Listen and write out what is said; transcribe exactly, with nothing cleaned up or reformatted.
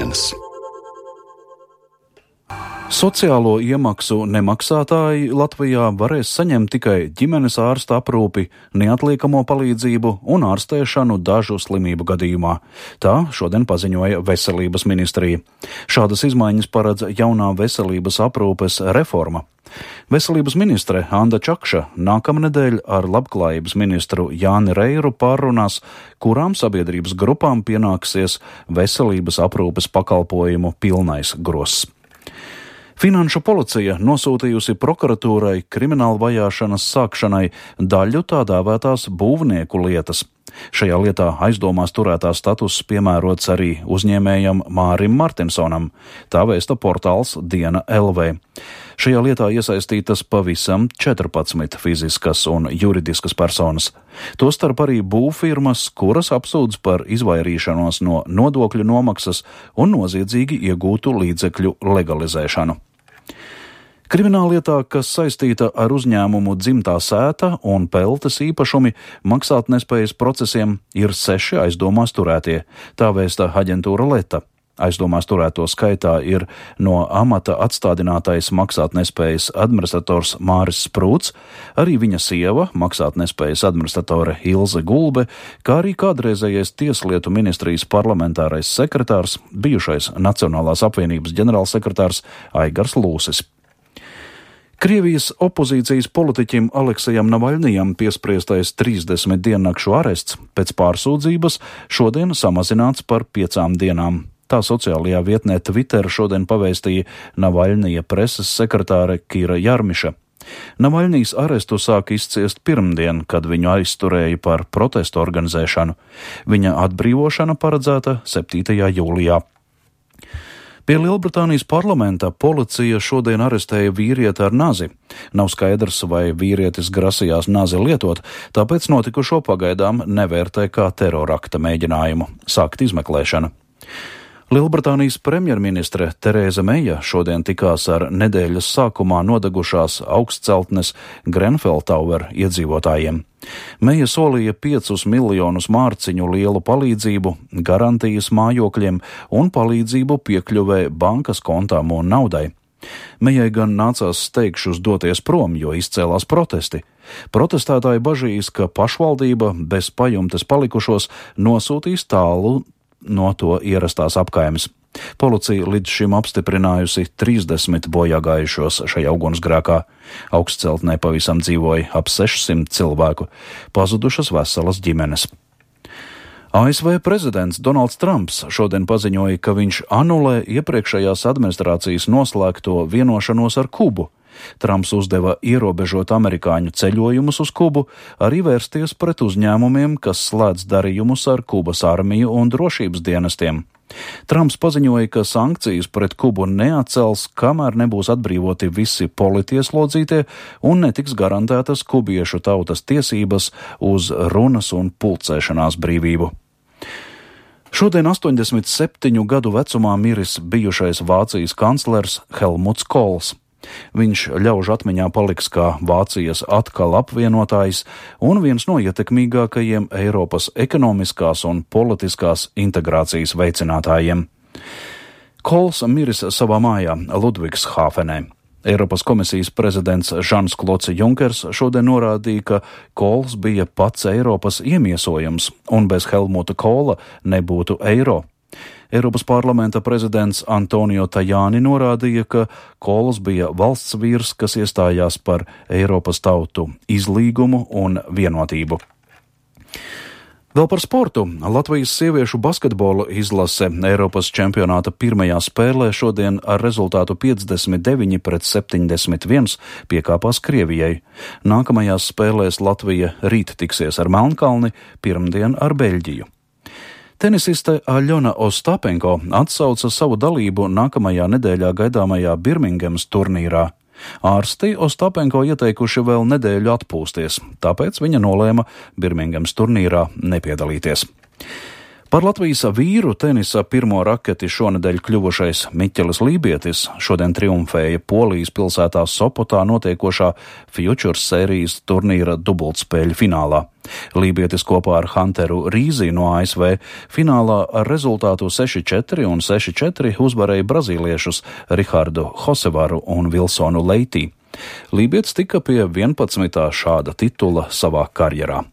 ģimenes. Sociālo iemaksu nemaksātāji Latvijā varēs saņemt tikai ģimenes ārsta aprūpi, neatliekamo palīdzību un ārstēšanu dažu slimību gadījumā. Tā šodien paziņoja Veselības ministrija. Šādas izmaiņas paredz jaunā veselības aprūpes reforma. Veselības ministre Anda Čakša nākamnedēļ ar labklājības ministru Jāni Reiru pārrunās, kurām sabiedrības grupām pienāksies veselības aprūpes pakalpojumu pilnais gross. Finanšu policija nosūtījusi prokuratūrai krimināla vajāšanas sākšanai daļu tā dēvētās būvnieku lietas. Šajā lietā aizdomās turētā status piemērots arī uzņēmējam Mārim Martinsonam, tā vēsta portāls Diena L V. Šajā lietā iesaistītas pavisam četrpadsmit fiziskas un juridiskas personas. Tostarp arī būvfirmas, kuras apsūdz par izvairīšanos no nodokļu nomaksas un noziedzīgi iegūtu līdzekļu legalizēšanu. Krimināllietā, kas saistīta ar uzņēmumu Dzimtā sēta un peltes īpašumi maksātnespējas procesiem, ir seši aizdomās turētie, tā vēsta aģentūra Leta. Aizdomās turēto skaitā ir no amata atstādinātais maksātnespējas administrators Māris Sprūts, arī viņa sieva, maksātnespējas administratore Ilze Gulbe, kā arī kādreizējais Tieslietu ministrijas parlamentārais sekretārs, bijušais Nacionālās apvienības ģenerālsekretārs Aigars Lūsis. Krievijas opozīcijas politiķim Aleksejam Navaļnijam piespriestais trīsdesmit diennakšu arests pēc pārsūdzības šodien samazināts par piecām dienām. Tā sociālajā vietnē Twitter šodien pavēstīja Navaļnija preses sekretāre Kira Jarmiša. Navaļnijs arestu sāk izciest pirmdien, kad viņu aizturēja par protestu organizēšanu. Viņa atbrīvošana paredzēta septītajā jūlijā. Pie Lielbritānijas parlamenta policija šodien arestēja vīrieti ar nazi. Nav skaidrs, vai vīrietis grasījās nazi lietot, tāpēc notikušo pagaidām nevērtē kā terorakta mēģinājumu sākt izmeklēšanu. Lielbritānijas premjerministre Terēza Meija šodien tikās ar nedēļas sākumā nodegušās augstceltnes Grenfell Tower iedzīvotājiem. Meija solīja piecus miljonus mārciņu lielu palīdzību, garantijas mājokļiem un palīdzību piekļuvē bankas kontām un naudai. Meijai gan nācās steigšus doties prom, jo izcēlās protesti. Protestētāji bažīs, ka pašvaldība bez pajumtes palikušos nosūtīs tālu no to ierastās apkaimes. Policija līdz šim apstiprinājusi trīsdesmit bojāgājušos šajā ugunsgrēkā. Augstceltnē pavisam dzīvoja ap sešsimt cilvēku, pazudušas veselas ģimenes. A S V prezidents Donalds Trumps šodien paziņoja, ka viņš anulē iepriekšējās administrācijas noslēgto vienošanos ar Kubu. Trumps uzdeva ierobežot amerikāņu ceļojumus uz Kubu, arī vērsties pret uzņēmumiem, kas slēdz darījumus ar Kubas armiju un drošības dienestiem. Trumps paziņoja, ka sankcijas pret Kubu neatcels, kamēr nebūs atbrīvoti visi politieslodzītie un netiks garantētas kubiešu tautas tiesības uz runas un pulcēšanās brīvību. Šodien astoņdesmit septiņu gadu vecumā miris bijušais Vācijas kanclers Helmuts Kohls. Viņš ļaužu atmiņā paliks kā Vācijas atkal apvienotājs un viens no ietekmīgākajiem Eiropas ekonomiskās un politiskās integrācijas veicinātājiem. Kohls miris savā mājā Ludvigshāfenē. Eiropas komisijas prezidents Žans Klods Junkers šodien norādīja, ka Kohls bija pats Eiropas iemiesojums un bez Helmuta Kohla nebūtu eiro. Eiropas parlamenta prezidents Antonio Tajani norādīja, ka Kohls bija valsts vīrs, kas iestājās par Eiropas tautu izlīgumu un vienotību. Vēl par sportu. Latvijas sieviešu basketbola izlase Eiropas čempionāta pirmajā spēlē šodien ar rezultātu piecdesmit deviņi pret septiņdesmit viens piekāpās Krievijai. Nākamajās spēlēs Latvija rīt tiksies ar Melnkalni, pirmdien ar Beļģiju. Tenisiste Aļona Ostapenko atsauca savu dalību nākamajā nedēļā gaidāmajā Birmingemas turnīrā. Ārsti Ostapenko ieteikuši vēl nedēļu atpūsties, tāpēc viņa nolēma Birmingemas turnīrā nepiedalīties. Par Latvijas vīru tenisa pirmo raketi šonedēļ kļuvušais Miķelis Lībietis šodien triumfēja Polijas pilsētā Sopotā notiekošā Futures sērijas turnīra dubultspēļu finālā. Lībietis kopā ar Hunteru Rīzi no A S V finālā ar rezultātu seši četri un seši četri uzvarēja brazīliešus Rihardu Hosevaru un Vilsonu Leitī. Lībietis tika pie vienpadsmitā šāda titula savā karjerā.